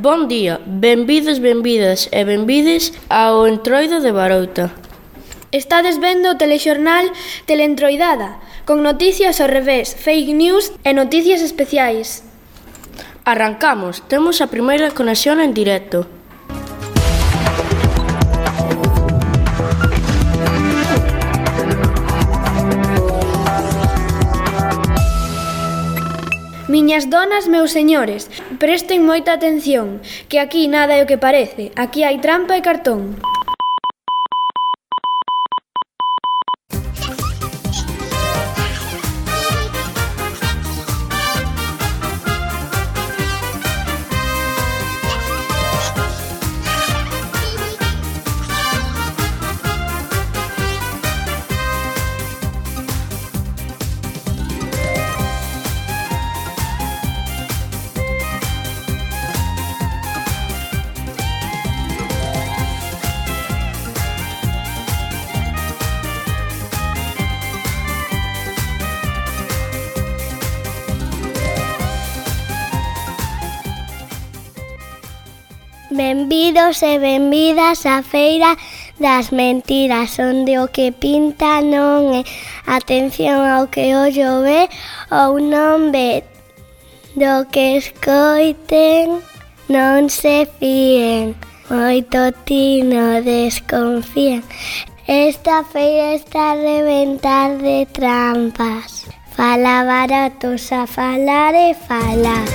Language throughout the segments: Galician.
Bon día, benvidos, benvidas e benvides ao Entroido de Barouta. Estades vendo o telexornal Teleentroidada, con noticias ao revés, fake news e noticias especiais. Arrancamos, temos a primeira conexión en directo. Miñas donas, meus señores, presten moita atención, que aquí nada é o que parece, aquí hai trampa e cartón. Benvidos e benvidas á Feira das Mentiras, onde o que pinta non é atención ao que ollo ve ou non ve, do que escoiten non se fíen, moito tino desconfían. Esta feira está a reventar de trampas, fala baratos a falar e falar.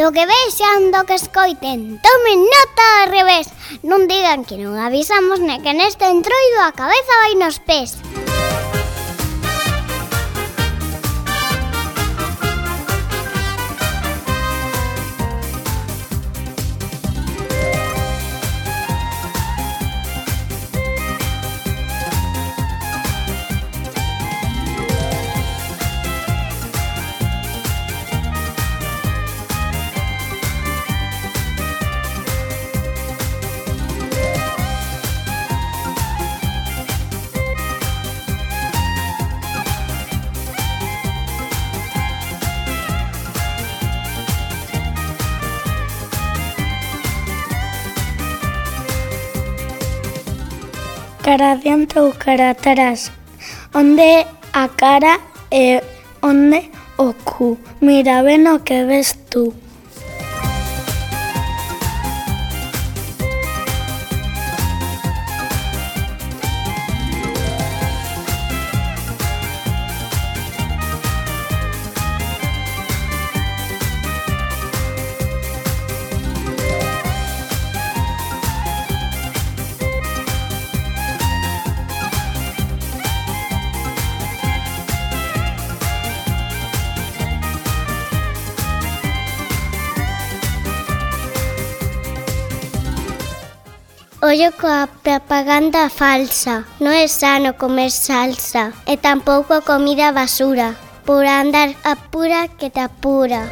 Do que vexan, do que escoiten, tomen nota ao revés. Non digan que non avisamos, ne que neste entroido a cabeza vai nos pés. Cara adiante ou cara atrás, onde a cara e onde o cu, mira ben o que ves tú. Ollo coa propaganda falsa. Non é sano comer salsa e tampouco a comida basura. Por andar apura que te apura.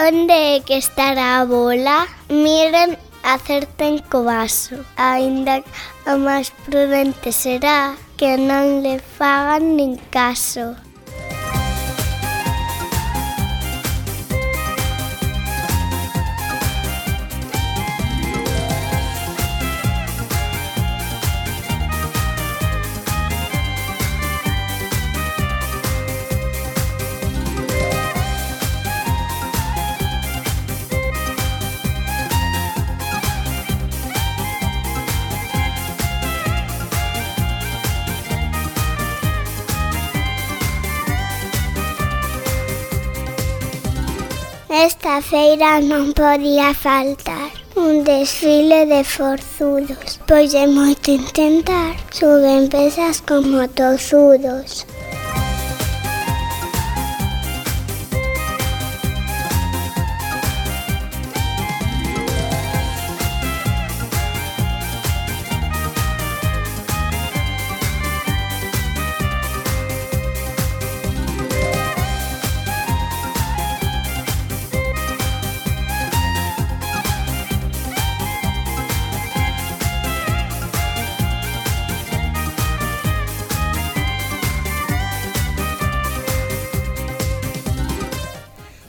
Onde é que estará a bola? Miren, acerten co vaso. Aínda o máis prudente será que non le fagan nin caso. Nesta feira non podía faltar un desfile de forzudos, pois é moito intentar, suben pesas como tozudos.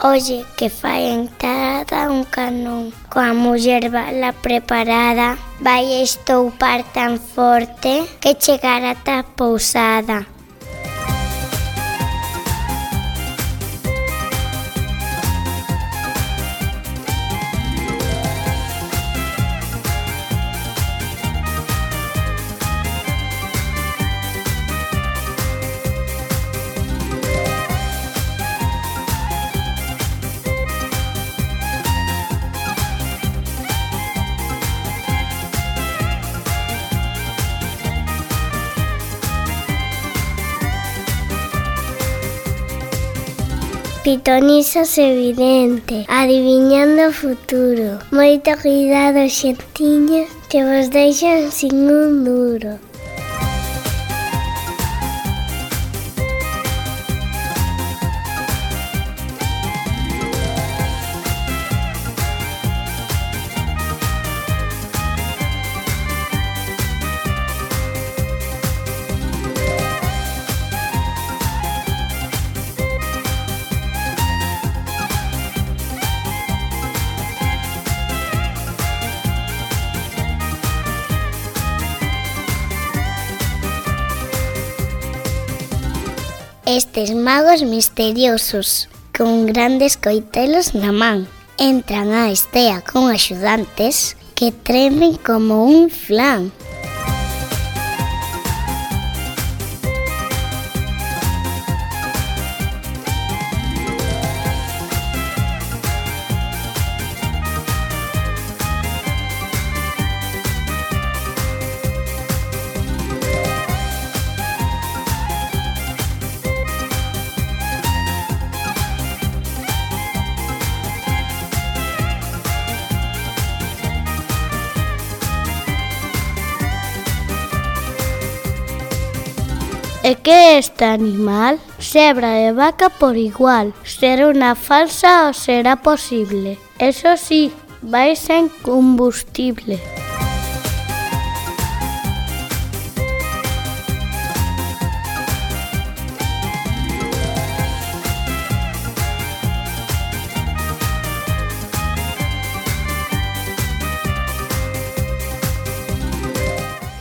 Oye, que fai a entrada un canón, coa muller bala preparada, vai estoupar tan forte que chegar ata a pousada. Pitonizas evidente, adiviñando o futuro. Moito cuidado, xentiñas, que vos deixan sin un duro. Estes magos misteriosos, con grandes coitelos na man, entran á estea con axudantes que tremen como un flan. E que é este animal? Cebra e vaca por igual. Será unha falsa ou será posible? Eso sí, vai sen combustible.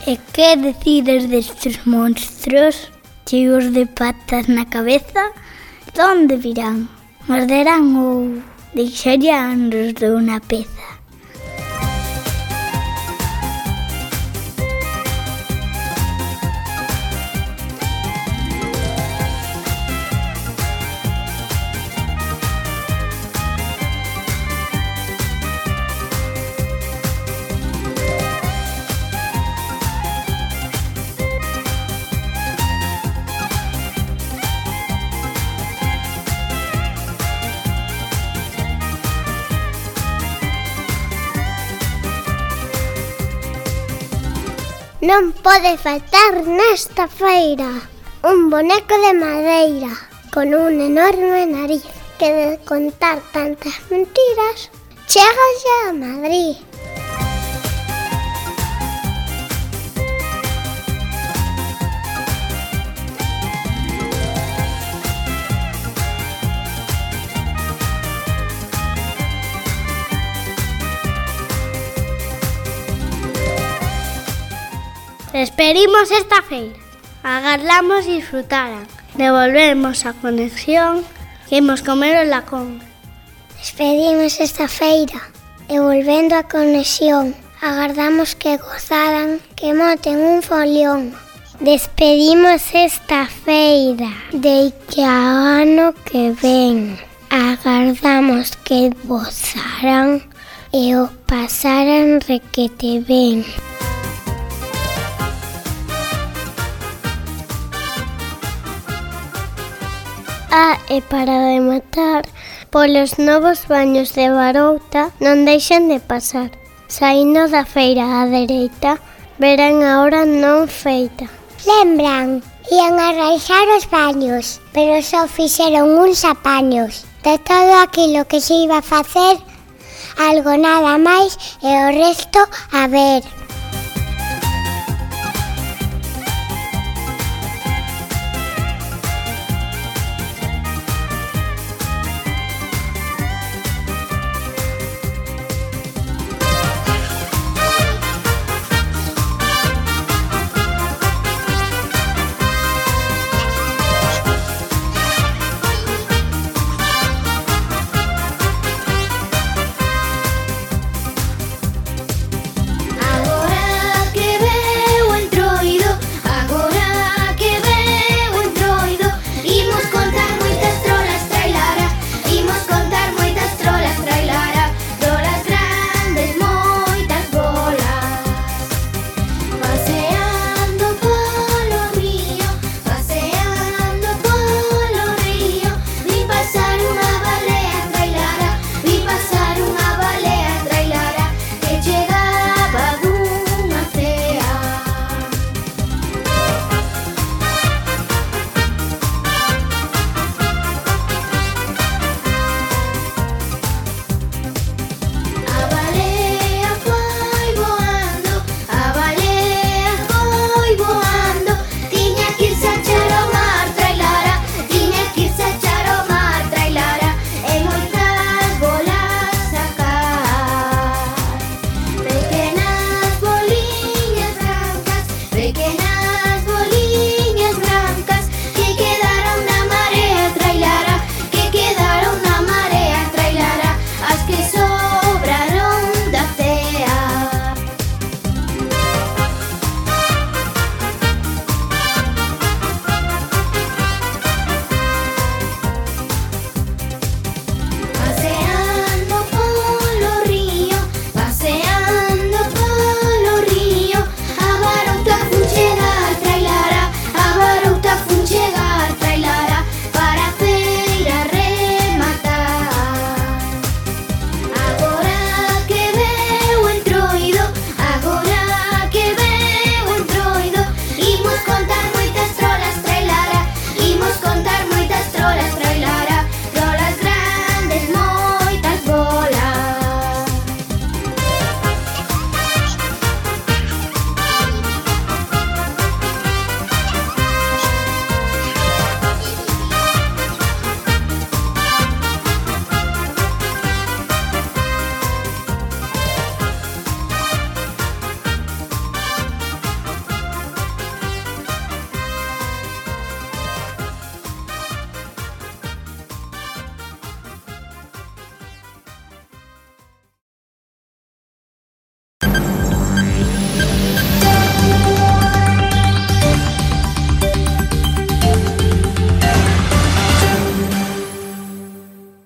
E que decides destes monstros cheos de patas na cabeza? Donde virán? Morderán ou deixarán de unha peza? Non pode faltar nesta feira un boneco de madeira con un enorme nariz que de contar tantas mentiras chega xa a Madrid. Despedimos esta feira. Agardamos disfrutaran. Devolvemos a conexión que imos comer o lacón. Despedimos esta feira e volvendo a conexión, agardamos que gozaran, que moten un folión. Despedimos esta feira de que ao ano que ven. Agardamos que gozaran e o pasaran requete ben. E para rematar, polos novos baños de Barouta non deixen de pasar. Saindo da feira á dereita, verán a hora non feita. Lembran, ían a raixar os baños, pero só fixeron uns apaños. De todo aquilo que se iba a facer, algo nada máis e o resto a ver.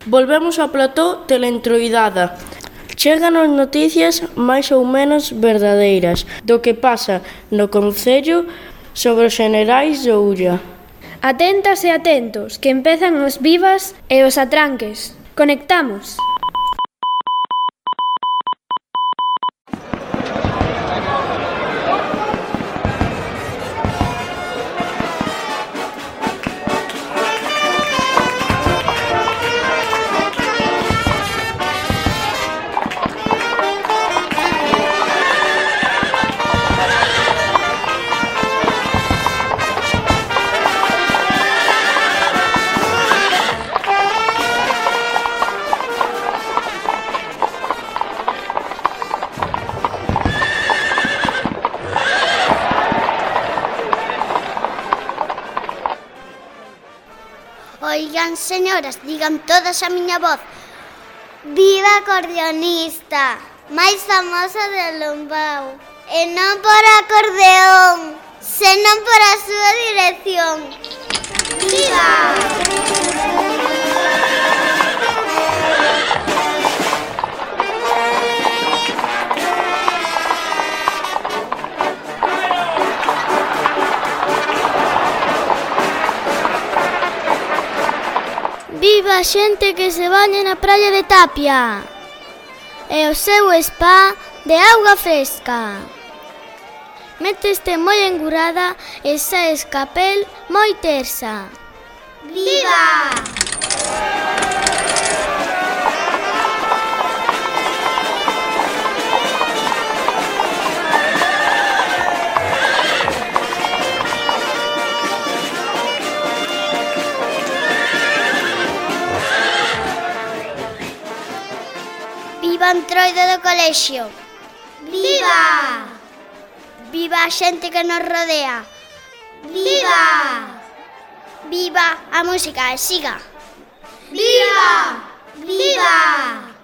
Volvemos ao plató Teleentroidada. Cheganos noticias máis ou menos verdadeiras do que pasa no concello sobre os xenerais de Ulla. Atentas e atentos, que empezan os vivas e os atranques. Conectamos. Oigan, señoras, digan todas a miña voz: viva acordeonista, máis famosa de Lombao. E non por acordeón, senón por a súa dirección. Viva! Viva a xente que se baña na praia de Tapia e o seu spa de auga fresca. Méteste moi engurada e saes capel moi tersa. Viva! Viva o Entroido do colexio. Viva! Viva a xente que nos rodea. Viva! Viva a música e siga. Viva! Viva!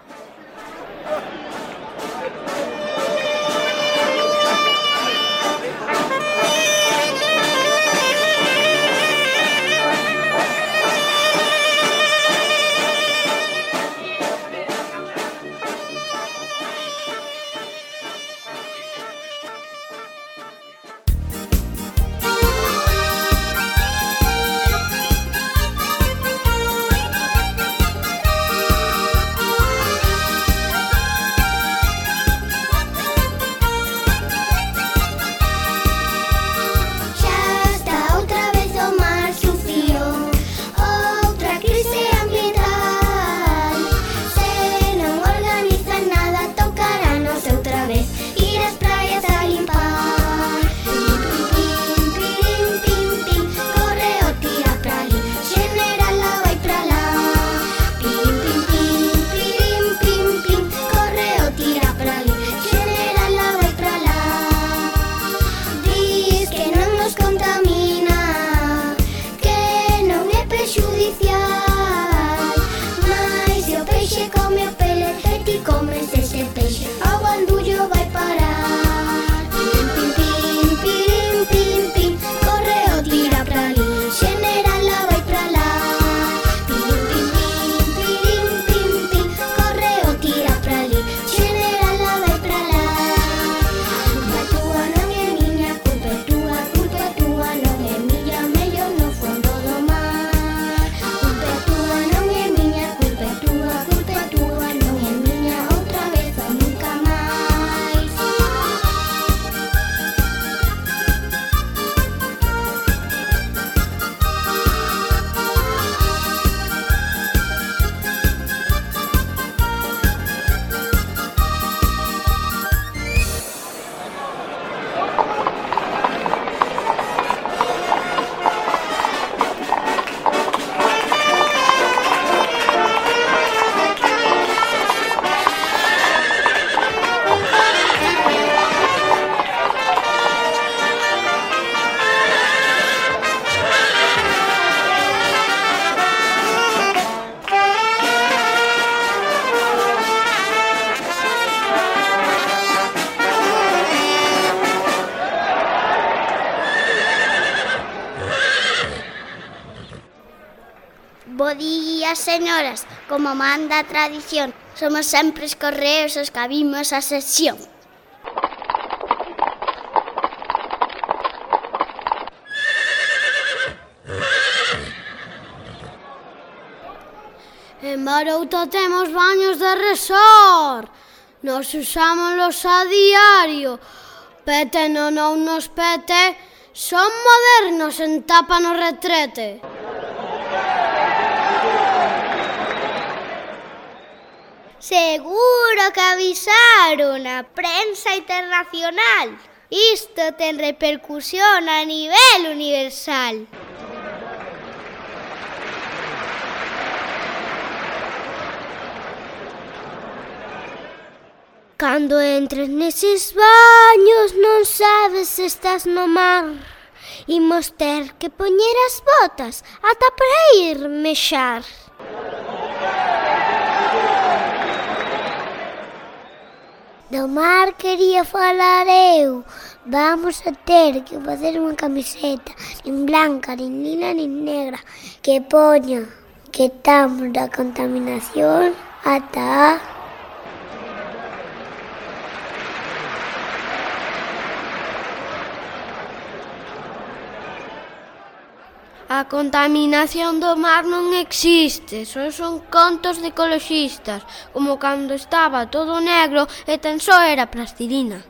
Bo día, señoras, como manda a tradición, somos sempre os correos os que abrimos a sesión. En Barouta temos baños de resort. Nos usámoslos a diario. Pete non nos pete, son modernos en tapa no retrete. Seguro que avisaron a prensa internacional. Isto ten repercusión a nivel universal. Cando entres neses baños non sabes se estás no mar. Imos ter que poñer as botas ata para ir mexar. Do mar quería falar eu. Vamos a ter que facer unha camiseta nin blanca, nin lila, nin negra que poña que estamos da contaminación ata A contaminación do mar non existe, só son contos de ecoloxistas, como cando estaba todo negro e tan só era plastilina.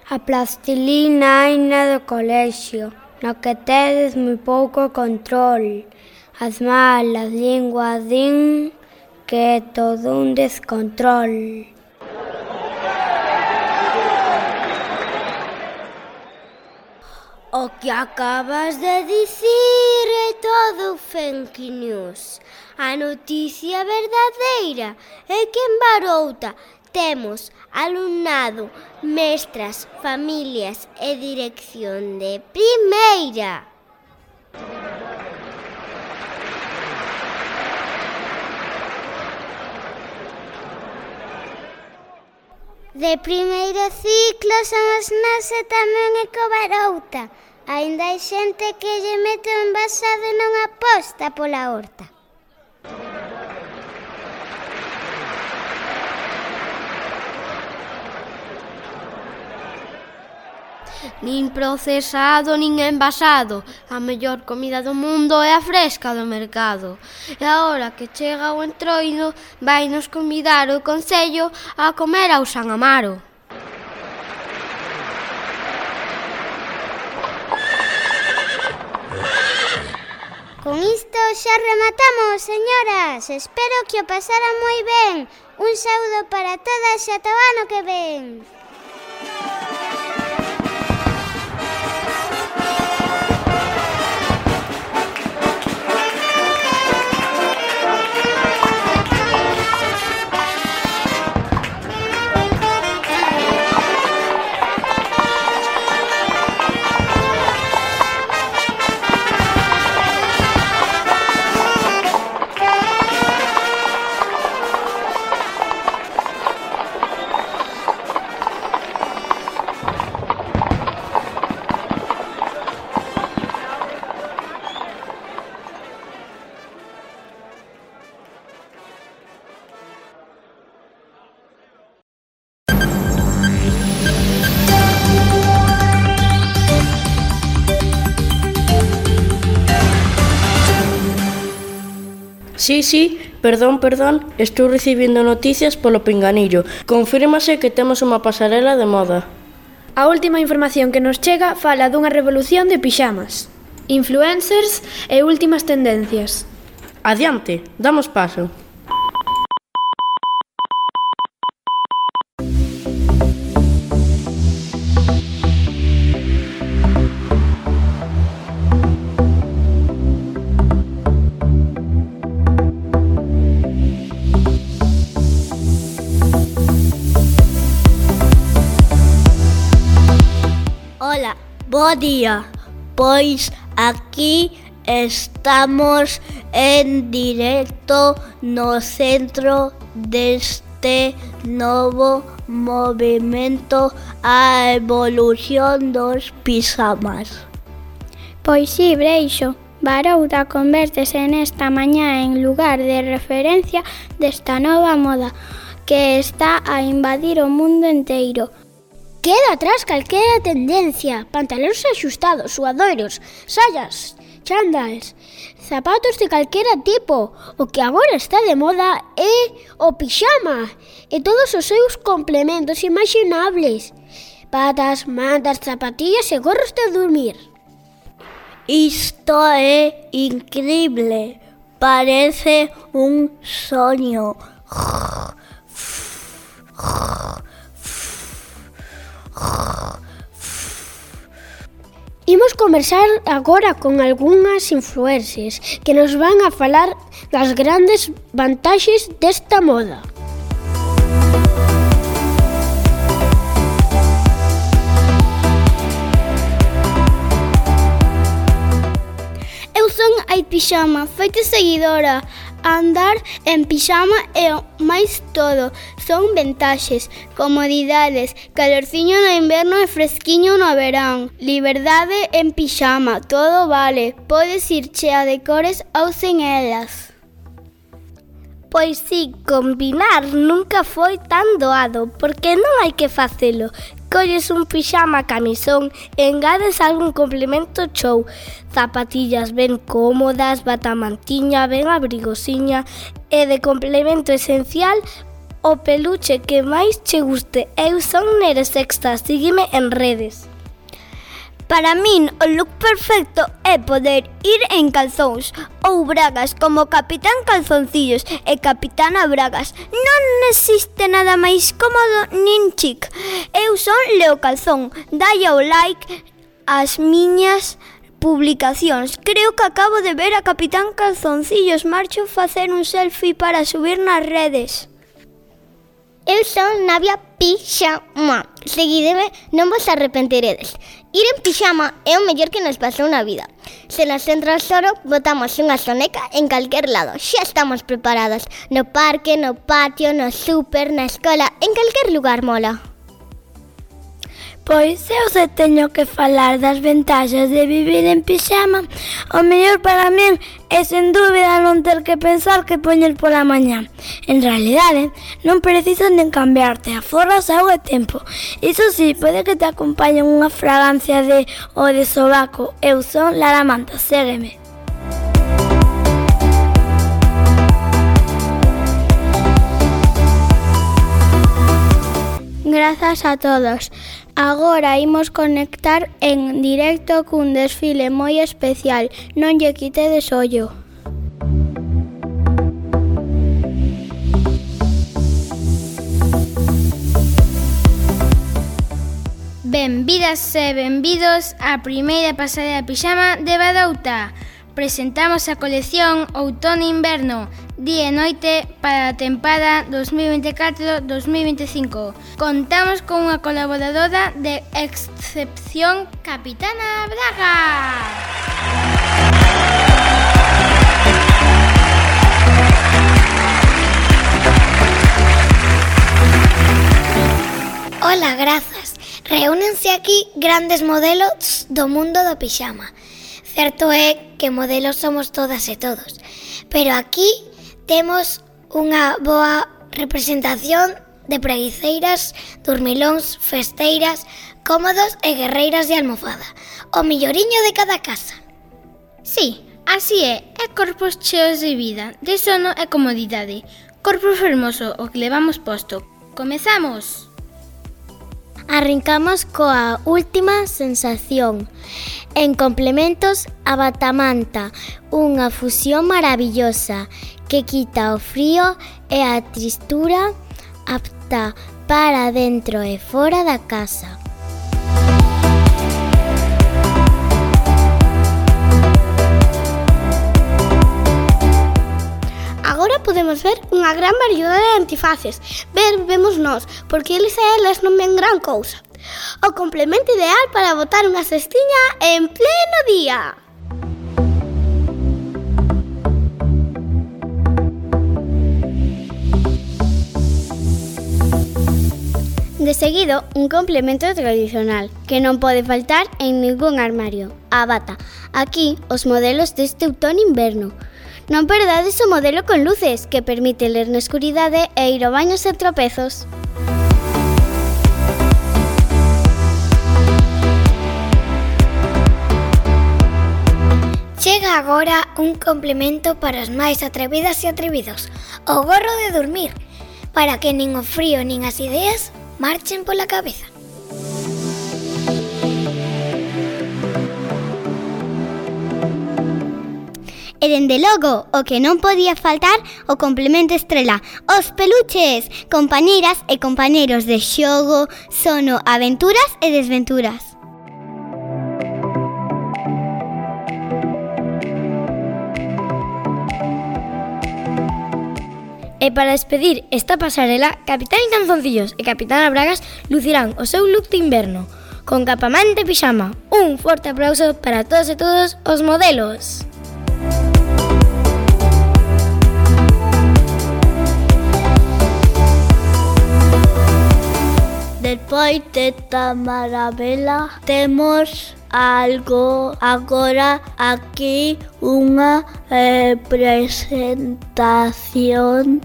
A plastilina aina do colexio, no que tedes moi pouco control. As malas linguas din que é todo un descontrol. O que acabas de dicir é todo fake news. A noticia verdadeira é que en Barouta temos alumnado, mestras, familias e dirección de primeira. De primeiro ciclo somos nós e tamén Ecobarouta. Aínda hai xente que lle mete o envasado e non aposta pola horta. Nin procesado, nin envasado. A mellor comida do mundo é a fresca do mercado. E agora que chega o entroido, vai nos convidar o Concello a comer ao San Amaro. Con isto xa rematamos, señoras. Espero que o pasaran moi ben. Un saúdo para todas e ata o ano que ven. Sí, perdón, estou recibindo noticias polo pinganillo. Confírmase que temos unha pasarela de moda. A última información que nos chega fala dunha revolución de pixamas, influencers e últimas tendencias. Adiante, damos paso. Hola, bo día. Pois aquí estamos en directo no centro deste novo movimento a evolución dos pixamas. Pois si, Breixo, Barouta convértese nesta mañá en lugar de referencia desta nova moda que está a invadir o mundo enteiro. Queda atrás calquera tendencia, pantalóns axustados, suadoiros, saias, chándals, zapatos de calquera tipo. O que agora está de moda é o pixama e todos os seus complementos imaxinables. Patas, mantas, zapatillas e gorros de dormir. Isto é increíble, parece un soño. Imos conversar agora con algunhas influencers que nos van a falar das grandes vantaxes desta moda. Eu son a pixama, feita seguidora. Andar en pixama é o máis todo. Son ventaxes, comodidades, calorciño no inverno e fresquiño no verán. Liberdade en pixama, todo vale. Podes ir chea de cores ou sen elas. Pois si, combinar nunca foi tan doado, porque non hai que facelo. Colles un pixama camisón e engades algún complemento chou. Zapatillas ben cómodas, batamantiña ben abrigosiña e de complemento esencial o peluche que máis che guste. Eu son Nere Sexta, sígueme en redes. Para min, o look perfecto é poder ir en calzóns ou bragas como Capitán Calzoncillos e Capitana Bragas. Non existe nada máis cómodo nin chic. Eu son Leo Calzón. Dai ao like ás miñas publicacións. Creo que acabo de ver a Capitán Calzoncillos. Marcho facer un selfie para subir nas redes. Eu son Navia Pixama. Seguideme, non vos arrepentiredes. Ir en pixama é o mellor que nos pasou na vida. Se nos entra o soro, botamos unha soneca en calquer lado. Xa estamos preparadas. No parque, no patio, no súper, na escola, en calquer lugar mola. Pois eu se teño que falar das vantaxes de vivir en pixama, o mellor para min é sen dúbida non ter que pensar que poñer pola mañá. En realidade, non precisas nen cambiarte, aforras auga e tempo. Iso si, pode que te acompañen unha fragancia de o de sobaco. Eu son Lara Manta, ségueme. Grazas a todos. Agora imos conectar en directo cun desfile moi especial. Non lle quitedes ollo. Benvidas e benvidos á primeira pasada de pixama de Badouta. Presentamos a colección Outono-Inverno, día e noite para a tempada 2024-2025. Contamos con unha colaboradora de excepción, Capitana Braga. Ola, grazas. Reúnense aquí grandes modelos do mundo do pixama. Certo é que modelos somos todas e todos, pero aquí temos unha boa representación de preguiceiras, dormilóns, festeiras, cómodos e guerreiras de almofada. O milloriño de cada casa. Sí, así é corpos cheos de vida, de sono e comodidade. Corpo fermoso, o que levamos posto. Comezamos! Arrancamos coa última sensación. En complementos, a batamanta, unha fusión maravillosa que quita o frío e a tristura, apta para dentro e fora da casa. Agora podemos ver unha gran variedade de antifaces. Vemos nós, porque eles e elas non ven gran cousa. O complemento ideal para botar unha cestiña en pleno día. De seguido, un complemento tradicional que non pode faltar en ningún armario, a bata. Aquí, os modelos deste outono-inverno. Non perdades o modelo con luces, que permite ler na escuridade e ir ao baño sen tropezos. Chega agora un complemento para os máis atrevidas e atrevidos, o gorro de dormir, para que nin o frío nin as ideas marchen pola cabeza. E dende logo, o que non podía faltar, o complemento estrela, os peluches, compañeiras e compañeiros de xogo, sono, aventuras e desventuras. E para despedir esta pasarela, Capitán Calzoncillos e Capitana Bragas lucirán o seu look de inverno, con capamante e pixama. Un forte aplauso para todos e todos os modelos. Del Despois de Tamarabela temos algo agora aquí unha presentación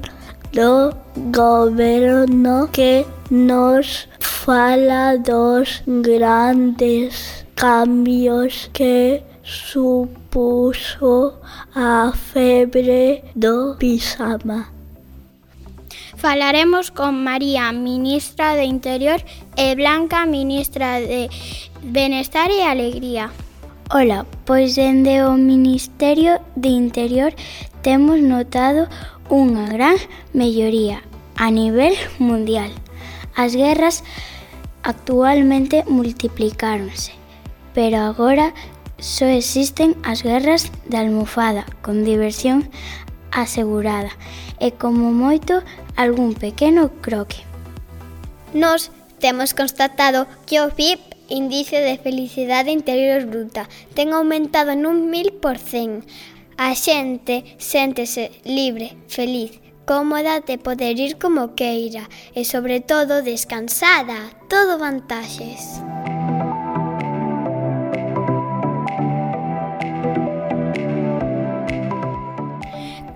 do goberno que nos fala dos grandes cambios que supuso a febre do pixama. Falaremos con María, ministra de Interior, e Blanca, ministra de Benestar e Alegría. Ola, pois dende o Ministerio de Interior temos notado unha gran melloría a nivel mundial. As guerras actualmente multiplicáronse, pero agora só existen as guerras de almofada con diversión asegurada e como moito algún pequeno croque. Nos temos constatado que o PIB, Índice de Felicidade Interior Bruta, ten aumentado nun 1000%. A xente séntese libre, feliz, cómoda de poder ir como queira e, sobre todo, descansada. Todo vantaxes.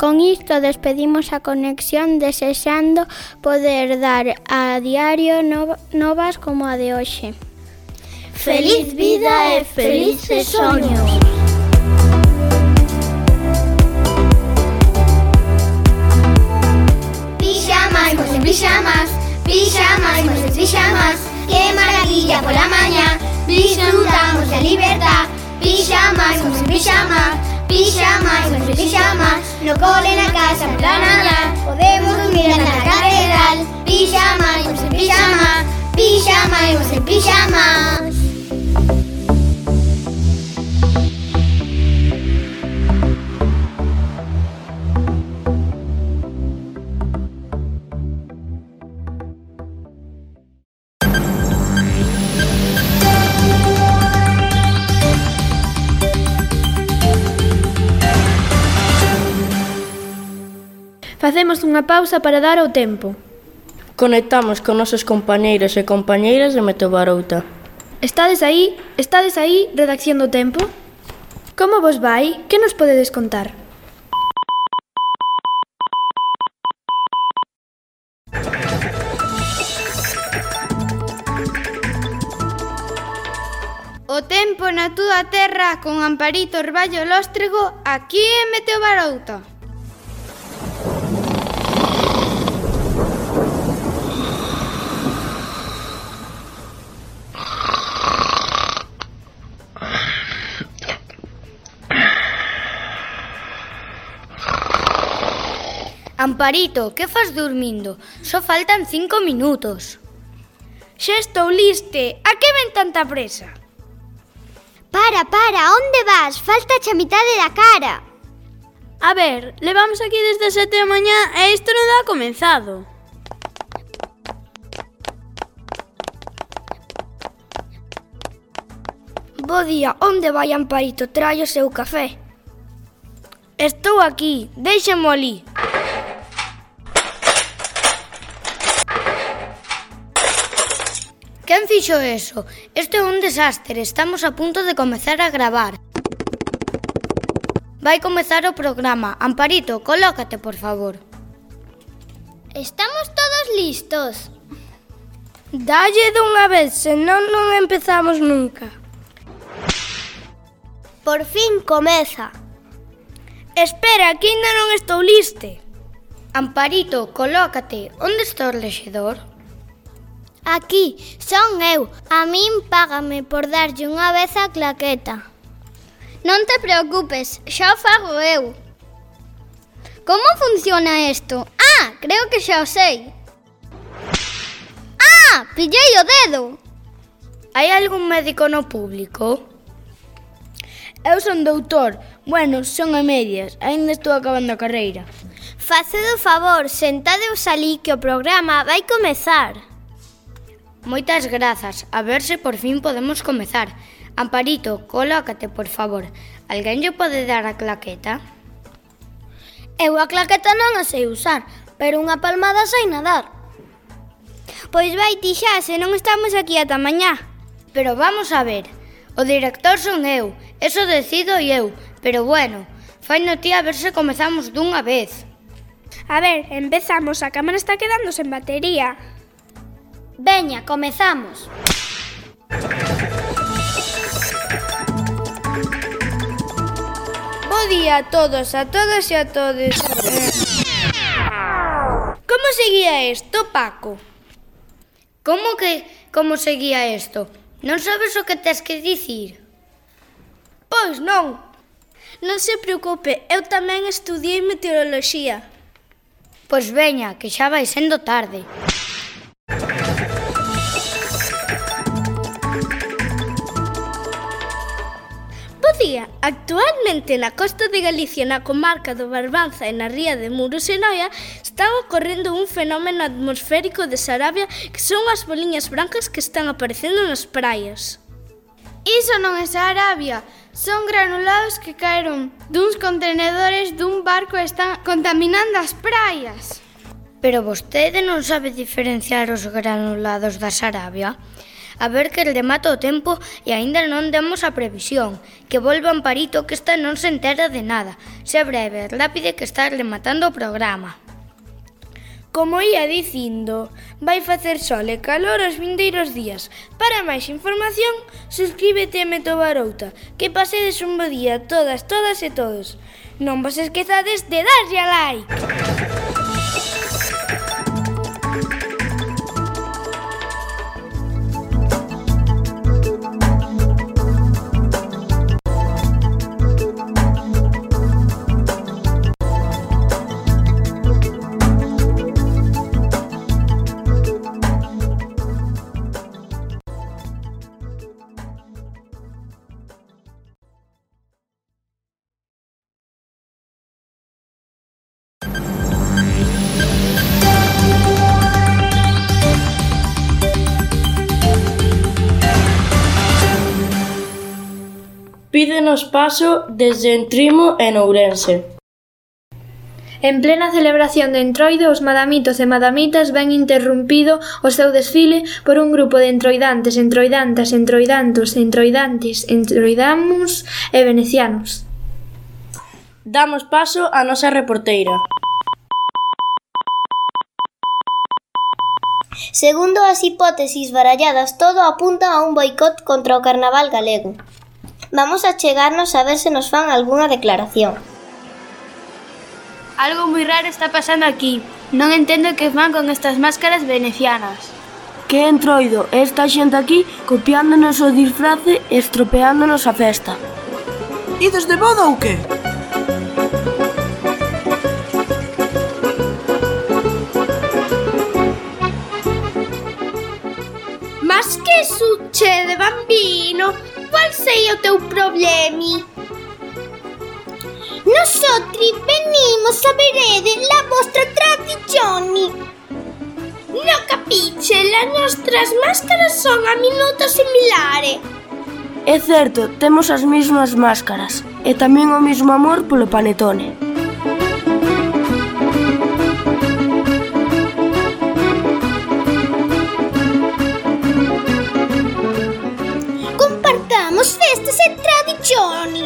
Con isto despedimos a conexión desexando poder dar a diario novas como a de hoxe. Feliz vida e felices soños. Pixamas, pues en pixamas, pixamas, pues en pixamas. ¡Qué maravilla por la mañana! Disfrutamos de libertad. Pixamas, pues en pixamas, pixamas, pues en pixamas. No cole, na casa, por la nada. Podemos dormir en la catedral. Pixamas, pues en pixamas, pixamas, pues en pixamas. Facemos unha pausa para dar o tempo. Conectamos con nosos compañeiros e compañeiras de Meteobarouta. Estades aí, redacción do tempo? Como vos vai? Que nos podedes contar? O tempo na túa terra con Amparito Orballo Lóstrego aquí en Meteobarouta. Amparito, que fas dormindo? Só faltan 5 minutos. Xa estou liste. A que ven tanta presa? Para, onde vas? Falta a mitade da cara. A ver, levamos aquí desde 7 da mañá e isto non dá comenzado. Bo día, onde vai Amparito? Trae o seu café. Estou aquí, déixamo ali. Quen fixo eso? Isto é un desastre, estamos a punto de comezar a gravar. Vai comezar o programa. Amparito, colócate, por favor. Estamos todos listos. Dalle dunha vez, senón non empezamos nunca. Por fin comeza. Espera, que ainda non estou liste. Amparito, colócate. Onde está o rexedor? Aquí, son eu. A min págame por darlle unha vez a claqueta. Non te preocupes, xa o fago eu. Como funciona isto? Ah, creo que xa o sei. Ah, pillei o dedo. Hai algún médico no público? Eu son doutor. Bueno, son a medias. Ainda estou acabando a carreira. Facedo favor, sentadeos ali que o programa vai comezar. Moitas grazas. A ver se por fin podemos comezar. Amparito, colócate, por favor. Alguén lle pode dar a claqueta? Eu a claqueta non a sei usar, pero unha palmada sei nadar. Pois vai ti xa, se non estamos aquí ata mañá. Pero vamos a ver, o director son eu, eso decido eu, pero bueno, faino ti a ver se comezamos dunha vez. A ver, empezamos, a cámara está quedando sen batería. Veña, comezamos. Bo día a todos, a todas e a todes. Como seguía isto, Paco? Como seguía isto? Non sabes o que tes que dicir? Pois non. Non se preocupe, eu tamén estudiei meteoroloxía. Pois veña, que xa vai sendo tarde. Bo día, actualmente na costa de Galicia, na comarca do Barbanza e na ría de Muros e Noia, está ocorrendo un fenómeno atmosférico de Sarabia que son as boliñas brancas que están aparecendo nas praias. Iso non é Sarabia, son granulados que caeron duns contenedores dun barco e están contaminando as praias. Pero vostede non sabe diferenciar os granulados da Sarabia? A ver que remata o tempo e aínda non demos a previsión. Que volva Amparito que esta non se entera de nada. Se breve, rápide que está rematando o programa. Como ia dicindo, vai facer sol e calor os vindeiros días. Para máis información, suscríbete a Meto Barouta. Que pasedes un bo día todas e todos. Non vos esquezades de darlle a like. Pídenos paso desde Entrimo e Nourense. En plena celebración de Entroido, os madamitos e madamitas ven interrompido o seu desfile por un grupo de entroidantes, entroidantas, entroidantos, entroidantes, entroidamos e venecianos. Damos paso á nosa reporteira. Segundo as hipótesis baralladas, todo apunta a un boicot contra o carnaval galego. Vamos a chegarnos a ver se nos fan algunha declaración. Algo moi raro está pasando aquí. Non entendo que fan con estas máscaras venecianas. Que entroido esta xente aquí copiándonos o disfrace e estropeándonos a festa. Ides de boda ou que? Mas que succede, bambino? Qual sei o teu problemi? Nosotri venimos a vedere la vostra tradizioni. No capiche, le nostras máscaras son a minuto similare. É certo, temos as mesmas máscaras e tamén o mesmo amor polo panetone. Compartamos festas e tradizioni.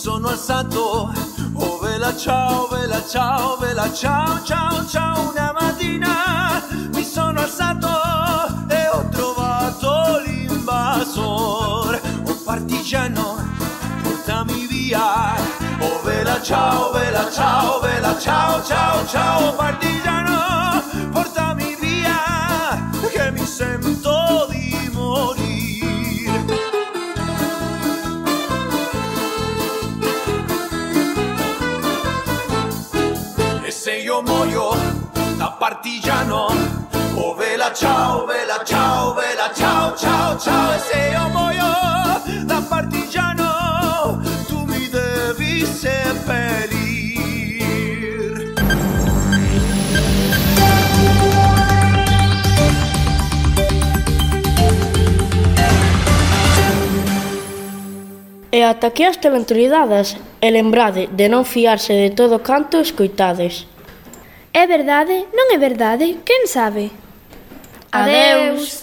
sono alzato, oh vela ciao, vela ciao, vela ciao, ciao, ciao. Una mattina mi sono alzato e ho trovato l'invasor. Oh partigiano, portami via. Oh vela ciao, vela ciao, vela ciao, ciao, ciao. Partigiano, portami via, che mi sento di morire. E se io muoio da partigiano, oh vela ciao, vela ciao, vela ciao, ciao, ciao. E se io muoio da partigiano, tu mi devi seppellir. E ata aquí as telentroidadas, e lembrade de non fiarse de todo canto escoitades. É verdade? Non é verdade? Quen sabe? Adeus.